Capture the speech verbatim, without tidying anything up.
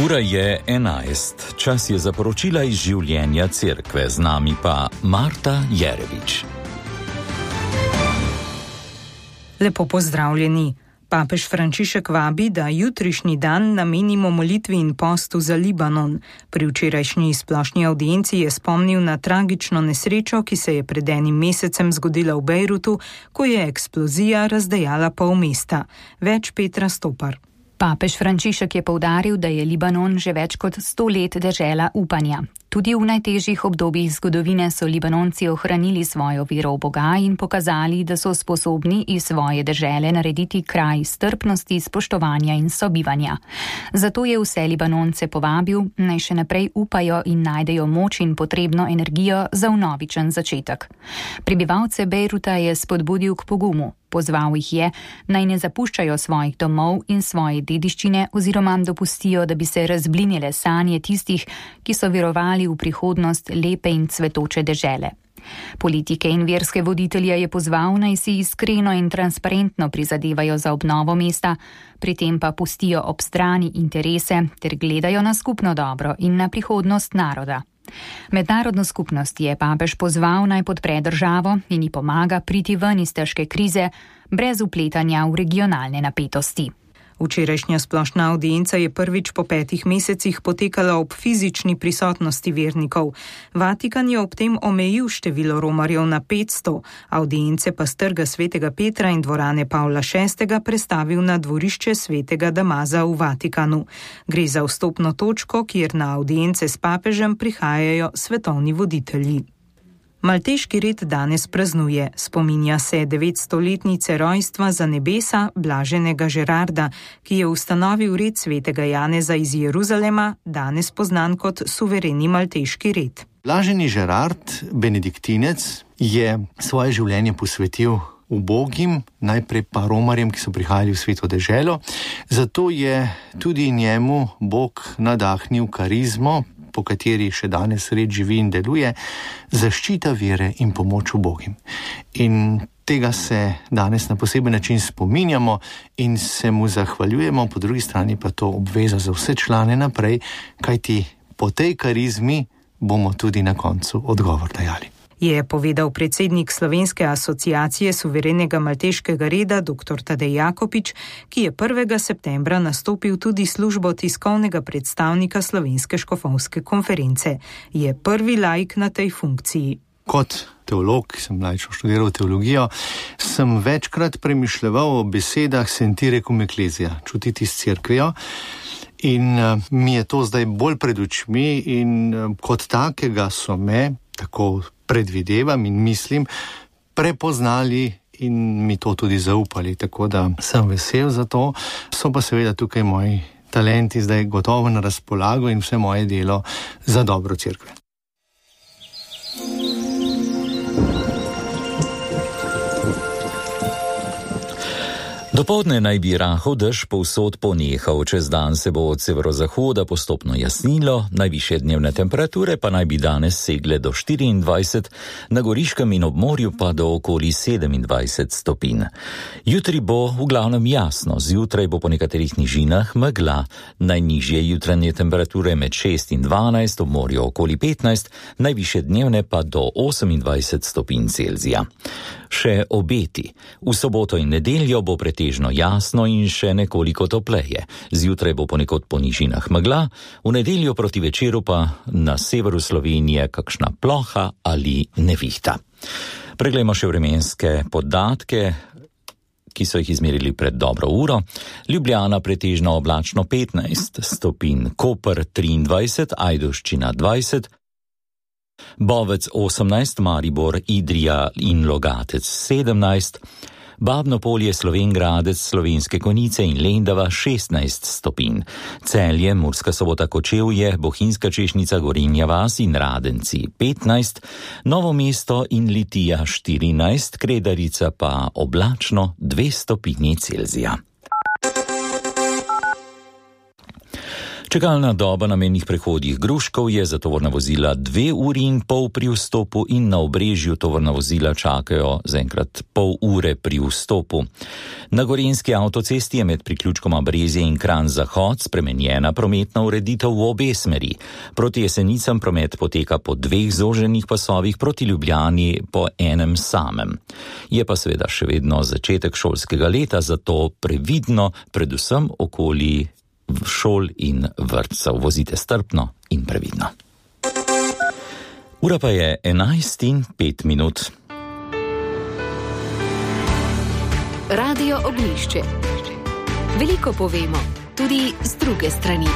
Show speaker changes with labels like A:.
A: Ura je enajst, čas je za poročila iz življenja cerkve, z nami pa Marta Jerevič.
B: Lepo pozdravljeni. Papež Frančišek vabi, da jutrišnji dan namenimo molitvi in postu za Libanon. Pri včerajšnji splošni audienci je spomnil na tragično nesrečo, ki se je pred enim mesecem zgodila v Bejrutu, ko je eksplozija razdejala pol mesta. Več Petra Stopar.
C: Papež Frančišek je poudaril, da je Libanon že več kot sto let dežela upanja. Tudi v najtežjih obdobjih zgodovine so Libanonci ohranili svojo vero v Boga in pokazali, da so sposobni iz svoje dežele narediti kraj strpnosti, spoštovanja in sobivanja. Zato je vse Libanonce povabil, naj še naprej upajo in najdejo moč in potrebno energijo za vnovičen začetek. Prebivalce Bejruta je spodbudil k pogumu. Pozval jih je, naj ne zapuščajo svojih domov in svoje dediščine oziroma dopustijo, da bi se razblinile sanje tistih, ki so verovali v prihodnost lepe in cvetoče dežele. Politike in verske voditelje je pozval, naj si iskreno in transparentno prizadevajo za obnovo mesta, pri tem pa pustijo ob strani interese ter gledajo na skupno dobro in na prihodnost naroda. Mednarodno skupnost je papež pozval, naj podpre državo in ji pomaga priti ven iz težke krize brez vpletanja v regionalne napetosti.
B: Včerajšnja splošna audienca je prvič po petih mesecih potekala ob fizični prisotnosti vernikov. Vatikan je ob tem omejil število romarjev na petsto, audience pa s trga svetega Petra in dvorane Pavla šestega prestavil na dvorišče svetega Damaza v Vatikanu. Gre za vstopno točko, kjer na audience s papežem prihajajo svetovni voditelji. Malteški red danes praznuje, spominja se devetstoletnice rojstva za nebesa blaženega Žerarda, ki je ustanovil red svetega Janeza iz Jeruzalema, danes poznan kot suvereni malteški red.
D: Blaženi Žerard, benediktinec, je svoje življenje posvetil ubogim, najprej pa romarjem, ki so prihajali v sveto deželo, zato je tudi njemu Bog nadahnil karizmo, po kateri še danes red živi in deluje, zaščita vere in pomoč ubogim. In tega se danes na poseben način spominjamo in se mu zahvaljujemo, po drugi strani pa to obveza za vse člane naprej, kajti po tej karizmi bomo tudi na koncu odgovor dajali.
B: Je povedal predsednik Slovenske asociacije suverenega malteškega reda dr. Tadej Jakopič, ki je prvega septembra nastopil tudi službo tiskovnega predstavnika Slovenske škofovske konference. Je prvi laik na tej funkciji.
D: Kot teolog, ki sem laično študiral teologijo, sem večkrat premišljeval o besedah sentire cum ecclesia, čutiti s cerkvijo. In uh, mi je to zdaj bolj pred očmi in uh, kot takega so me, tako predvidevam in mislim, prepoznali in mi to tudi zaupali, tako da sem vesel za to. So pa seveda tukaj moji talenti zdaj gotovo na razpolago in vse moje delo za dobro cerkve.
A: Dopoldne naj bi rahel dež povsod ponehal, čez dan se bo od severozahoda postopno jasnilo, najvišje dnevne temperature pa naj bi danes segle do štiriindvajset, na Goriškem in ob morju pa do okoli sedemindvajset stopinj. Jutri bo v glavnem jasno, zjutraj bo po nekaterih nižinah megla, najnižje jutranje temperature med šest in dvanajst, ob morju okoli petnajst, najvišje dnevne pa do osemindvajset stopinj Celzija. Še obeti. V soboto in nedeljo bo pretežno jasno in še nekoliko topleje. Zjutraj bo ponekod po nižinah megla, v nedeljo proti večeru pa na severu Slovenije kakšna ploha ali nevihta. Preglejmo še vremenske podatke, ki so jih izmerili pred dobro uro. Ljubljana pretežno oblačno petnajst stopinj, Koper triindvajset, Ajdovščina dvajset, Bovec osemnajst, Maribor, Idrija in Logatec sedemnajst, Babno Polje, Slovenj Gradec, Slovenske Konjice in Lendava šestnajst stopinj, Celje, Murska Sobota, Kočevje, Bohinjska Češnica, Gorenja vas in Radenci petnajst, Novo mesto in Litija štirinajst, Kredarica pa oblačno dve stopinji Celzija. Čakalna doba na mejnih prehodih Gruškov je za tovorna vozila dve uri in pol pri vstopu in na Obrežju tovorna vozila čakajo zaenkrat pol ure pri vstopu. Na Gorenjski avtocesti je med priključkoma Brezje in Kranj Zahod spremenjena prometna ureditev v obe smeri. Proti Jesenicam promet poteka po dveh zoženih pasovih, proti Ljubljani po enem samem. Je pa seveda še vedno začetek šolskega leta, zato previdno, predvsem okoli šol in vrtcev. Vozite strpno in previdno. Ura pa je enajst in pet minut.
E: Radio Oglišče. Veliko povemo, tudi z druge strani.